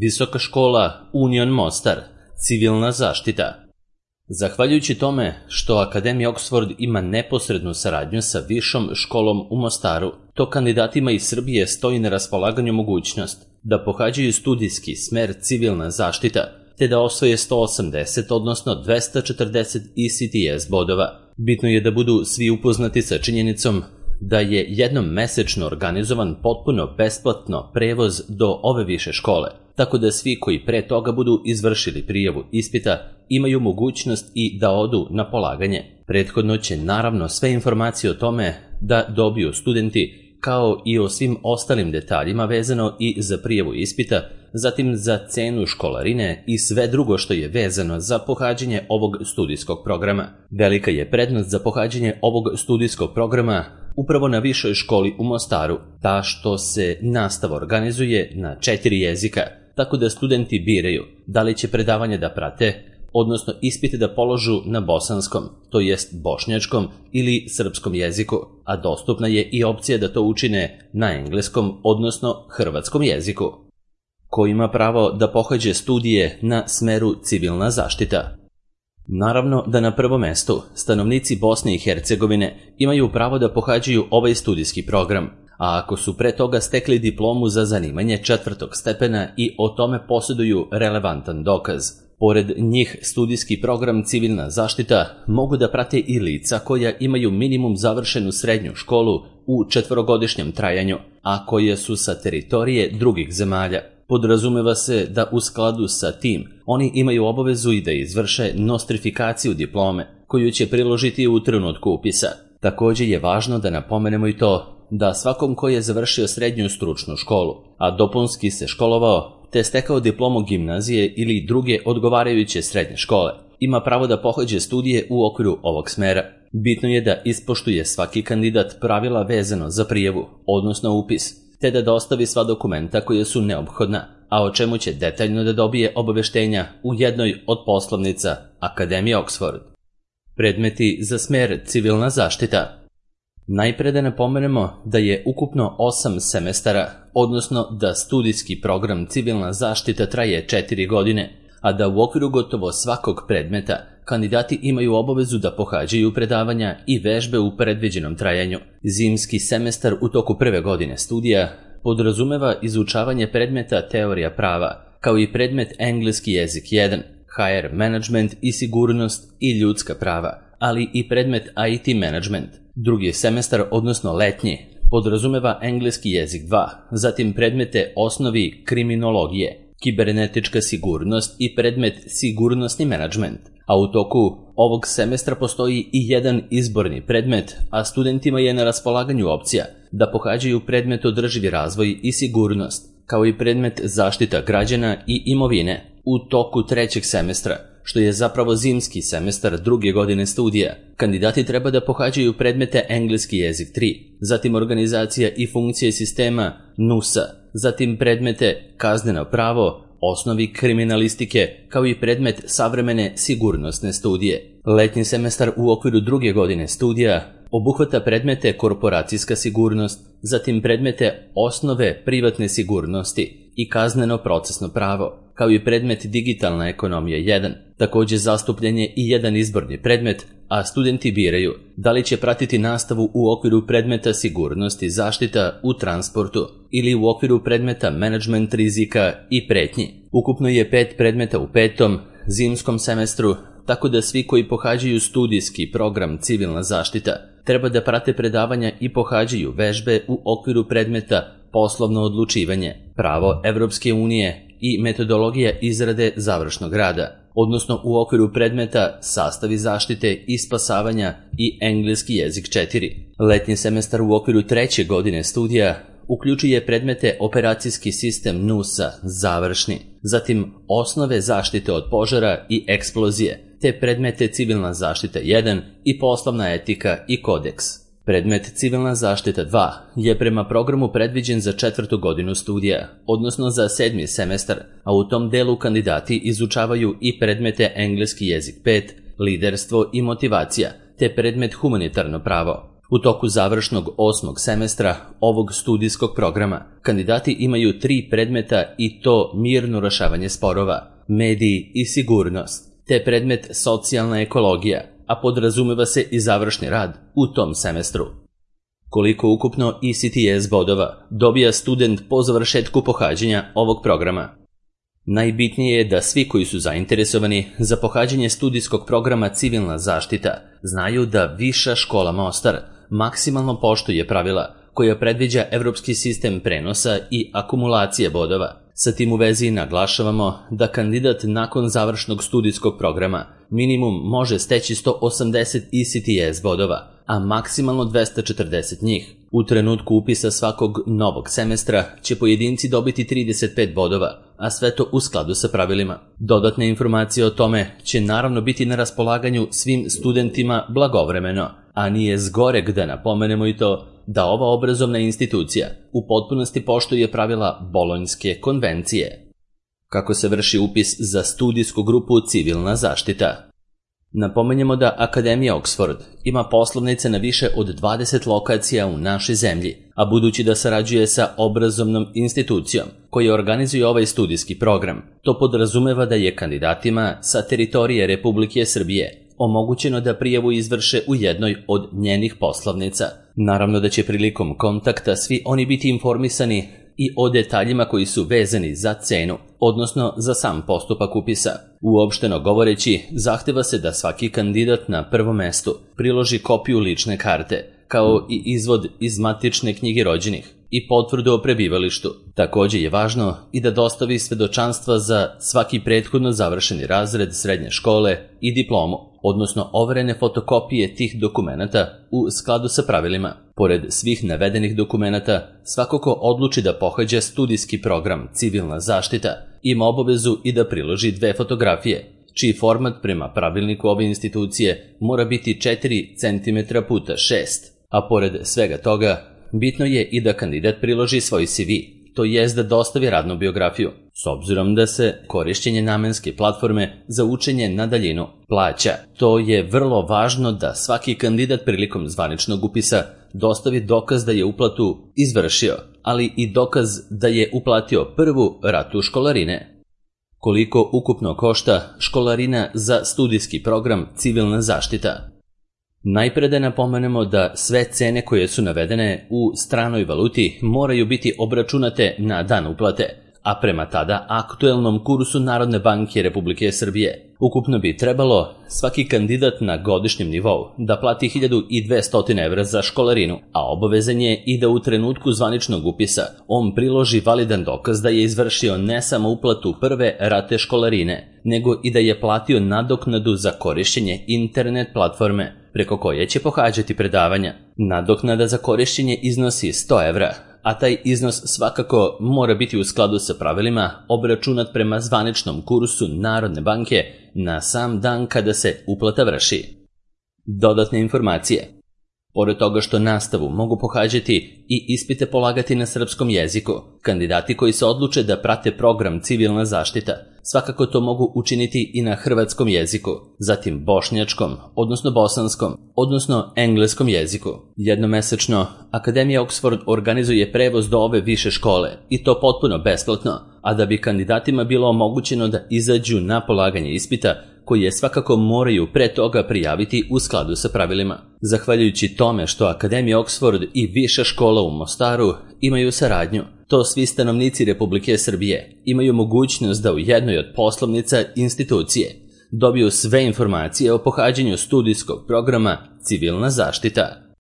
Visoka škola Union Mostar, civilna zaštita. Zahvaljujući tome što Akademija Oxford ima neposrednu saradnju sa Višom školom u Mostaru, to kandidatima iz Srbije stoji na raspolaganju mogućnost da pohađaju studijski smer civilna zaštita, te da osvoje 180, odnosno 240 ECTS bodova. Bitno je da budu svi upoznati sa činjenicom da je jednom mesečno organizovan potpuno besplatno prevoz do ove više škole, tako da svi koji pre toga budu izvršili prijavu ispita imaju mogućnost i da odu na polaganje. Prethodno će naravno sve informacije o tome da dobiju studenti, kao i o svim ostalim detaljima vezano i za prijavu ispita, zatim za cenu školarine i sve drugo što je vezano za pohađanje ovog studijskog programa. Velika je prednost za pohađanje ovog studijskog programa upravo na Višoj školi u Mostaru, ta što se nastava organizuje na 4 jezika, tako da studenti biraju da li će predavanje da prate, odnosno ispite da položu na bosanskom, to jest bošnjačkom ili srpskom jeziku, a dostupna je i opcija da to učine na engleskom, odnosno hrvatskom jeziku. Ko ima pravo da pohađe studije na smeru civilna zaštita? Naravno da na prvom mestu stanovnici Bosne i Hercegovine imaju pravo da pohađaju ovaj studijski program, a ako su pre toga stekli diplomu za zanimanje 4. stepena i o tome posjeduju relevantan dokaz. Pored njih, studijski program civilna zaštita mogu da prate i lica koja imaju minimum završenu srednju školu u 4-godišnjem trajanju, a koje su sa teritorije drugih zemalja. Podrazumeva se da u skladu sa tim oni imaju obavezu i da izvrše nostrifikaciju diplome, koju će priložiti u trenutku upisa. Također je važno da napomenemo i to da svakom ko je završio srednju stručnu školu, a dopunski se školovao te stekao diplomu gimnazije ili druge odgovarajuće srednje škole, ima pravo da pohađe studije u okviru ovog smera. Bitno je da ispoštuje svaki kandidat pravila vezano za prijavu, odnosno upis, te da dostavi sva dokumenta koje su neophodna, a o čemu će detaljno da dobije obaveštenja u jednoj od poslovnica Akademije Oxford. Predmeti za smer civilna zaštita. Najpre da napomenemo da je ukupno 8 semestara, odnosno da studijski program civilna zaštita traje 4 godine, a da u okviru gotovo svakog predmeta kandidati imaju obavezu da pohađaju predavanja i vežbe u predviđenom trajanju. Zimski semestar u toku prve godine studija podrazumeva izučavanje predmeta teorija prava, kao i predmet engleski jezik 1, HR management i sigurnost i ljudska prava, ali i predmet IT management. Drugi semestar, odnosno letnji, podrazumeva engleski jezik 2, zatim predmete osnovi kriminologije, kibernetička sigurnost i predmet sigurnosni menadžment. A u toku ovog semestra postoji i jedan izborni predmet, a studentima je na raspolaganju opcija da pohađaju predmet održivi razvoj i sigurnost, kao i predmet zaštita građana i imovine u toku trećeg semestra, što je zapravo zimski semestar druge godine studija. Kandidati treba da pohađaju predmete engleski jezik 3, zatim organizacija i funkcije sistema NUSA, zatim predmete kazneno pravo, osnovi kriminalistike, kao i predmet savremene sigurnosne studije. Letnji semestar u okviru druge godine studija obuhvata predmete korporacijska sigurnost, zatim predmete osnove privatne sigurnosti i kazneno procesno pravo, kao i predmet digitalna ekonomija 1. Također zastupljen je i jedan izborni predmet, a studenti biraju da li će pratiti nastavu u okviru predmeta sigurnosti zaštita u transportu ili u okviru predmeta menadžment rizika i pretnji. Ukupno je 5 predmeta u 5. zimskom semestru, tako da svi koji pohađaju studijski program civilna zaštita treba da prate predavanja i pohađaju vežbe u okviru predmeta poslovno odlučivanje, pravo Evropske unije i metodologija izrade završnog rada, odnosno u okviru predmeta sastavi zaštite i spasavanja i engleski jezik 4. Letnji semestar u okviru treće godine studija uključuje predmete operacijski sistem NUSA završni, zatim osnove zaštite od požara i eksplozije, te predmete civilna zaštita 1 i poslovna etika i kodeks. Predmet civilna zaštita 2 je prema programu predviđen za 4. godinu studija, odnosno za 7. semestar, a u tom delu kandidati izučavaju i predmete engleski jezik 5, liderstvo i motivacija, te predmet humanitarno pravo. U toku završnog 8. semestra ovog studijskog programa kandidati imaju 3 predmeta i to mirno rešavanje sporova, mediji i sigurnost, te predmet socijalna ekologija, a podrazumeva se i završni rad u tom semestru. Koliko ukupno ECTS bodova dobija student po završetku pohađanja ovog programa? Najbitnije je da svi koji su zainteresovani za pohađanje studijskog programa Civilna zaštita znaju da Viša škola Mostar maksimalno poštuje pravila koja predviđa evropski sistem prenosa i akumulacije bodova. Sa tim u vezi naglašavamo da kandidat nakon završnog studijskog programa minimum može steći 180 ECTS bodova, a maksimalno 240 njih. U trenutku upisa svakog novog semestra će pojedinci dobiti 35 bodova, a sve to u skladu sa pravilima. Dodatne informacije o tome će naravno biti na raspolaganju svim studentima blagovremeno, a nije zgoreg da napomenemo i to da ova obrazovna institucija u potpunosti poštuje pravila Bolonjske konvencije. Kako se vrši upis za studijsku grupu Civilna zaštita? Napomenjemo da Akademija Oxford ima poslovnice na više od 20 lokacija u našoj zemlji, a budući da sarađuje sa obrazovnom institucijom koja organizuje ovaj studijski program, to podrazumeva da je kandidatima sa teritorije Republike Srbije omogućeno da prijavu izvrše u jednoj od njenih poslovnica. Naravno da će prilikom kontakta svi oni biti informisani i o detaljima koji su vezani za cenu, odnosno za sam postupak upisa. Uopšteno govoreći, zahteva se da svaki kandidat na prvom mestu priloži kopiju lične karte, kao i izvod iz matične knjige rođenih i potvrdu o prebivalištu. Također je važno i da dostavi svedočanstva za svaki prethodno završeni razred srednje škole i diplomu, odnosno overene fotokopije tih dokumenata u skladu sa pravilima. Pored svih navedenih dokumenata, svako ko odluči da pohađa studijski program Civilna zaštita ima obavezu i da priloži 2 fotografije, čiji format prema pravilniku ove institucije mora biti 4 cm x 6, a pored svega toga, bitno je i da kandidat priloži svoj CV, to jest da dostavi radnu biografiju, s obzirom da se korišćenje namenske platforme za učenje na daljinu plaća. To je vrlo važno da svaki kandidat prilikom zvaničnog upisa dostavi dokaz da je uplatu izvršio, ali i dokaz da je uplatio prvu ratu školarine. Koliko ukupno košta školarina za studijski program Civilna zaštita? Najpre da napomenemo da sve cene koje su navedene u stranoj valuti moraju biti obračunate na dan uplate, a prema tada aktuelnom kursu Narodne banke Republike Srbije. Ukupno bi trebalo svaki kandidat na godišnjem nivou da plati 1200 evra za školarinu, a obavezan je i da u trenutku zvaničnog upisa on priloži validan dokaz da je izvršio ne samo uplatu prve rate školarine, nego i da je platio nadoknadu za korišćenje internet platforme preko koje će pohađati predavanja. Nadoknada za korišćenje iznosi 100 evra, a taj iznos svakako mora biti u skladu sa pravilima obračunat prema zvaničnom kursu Narodne banke na sam dan kada se uplata vrši. Dodatne informacije. Pored toga što nastavu mogu pohađati i ispite polagati na srpskom jeziku, kandidati koji se odluče da prate program Civilna zaštita svakako to mogu učiniti i na hrvatskom jeziku, zatim bošnjačkom, odnosno bosanskom, odnosno engleskom jeziku. Jednomesečno, Akademija Oxford organizuje prevoz do ove više škole i to potpuno besplatno, a da bi kandidatima bilo omogućeno da izađu na polaganje ispita, koje svakako moraju pre toga prijaviti u skladu sa pravilima. Zahvaljujući tome što Akademija Oxford i Viša škola u Mostaru imaju saradnju, to svi stanovnici Republike Srbije imaju mogućnost da u jednoj od poslovnica institucije dobiju sve informacije o pohađanju studijskog programa Civilna zaštita.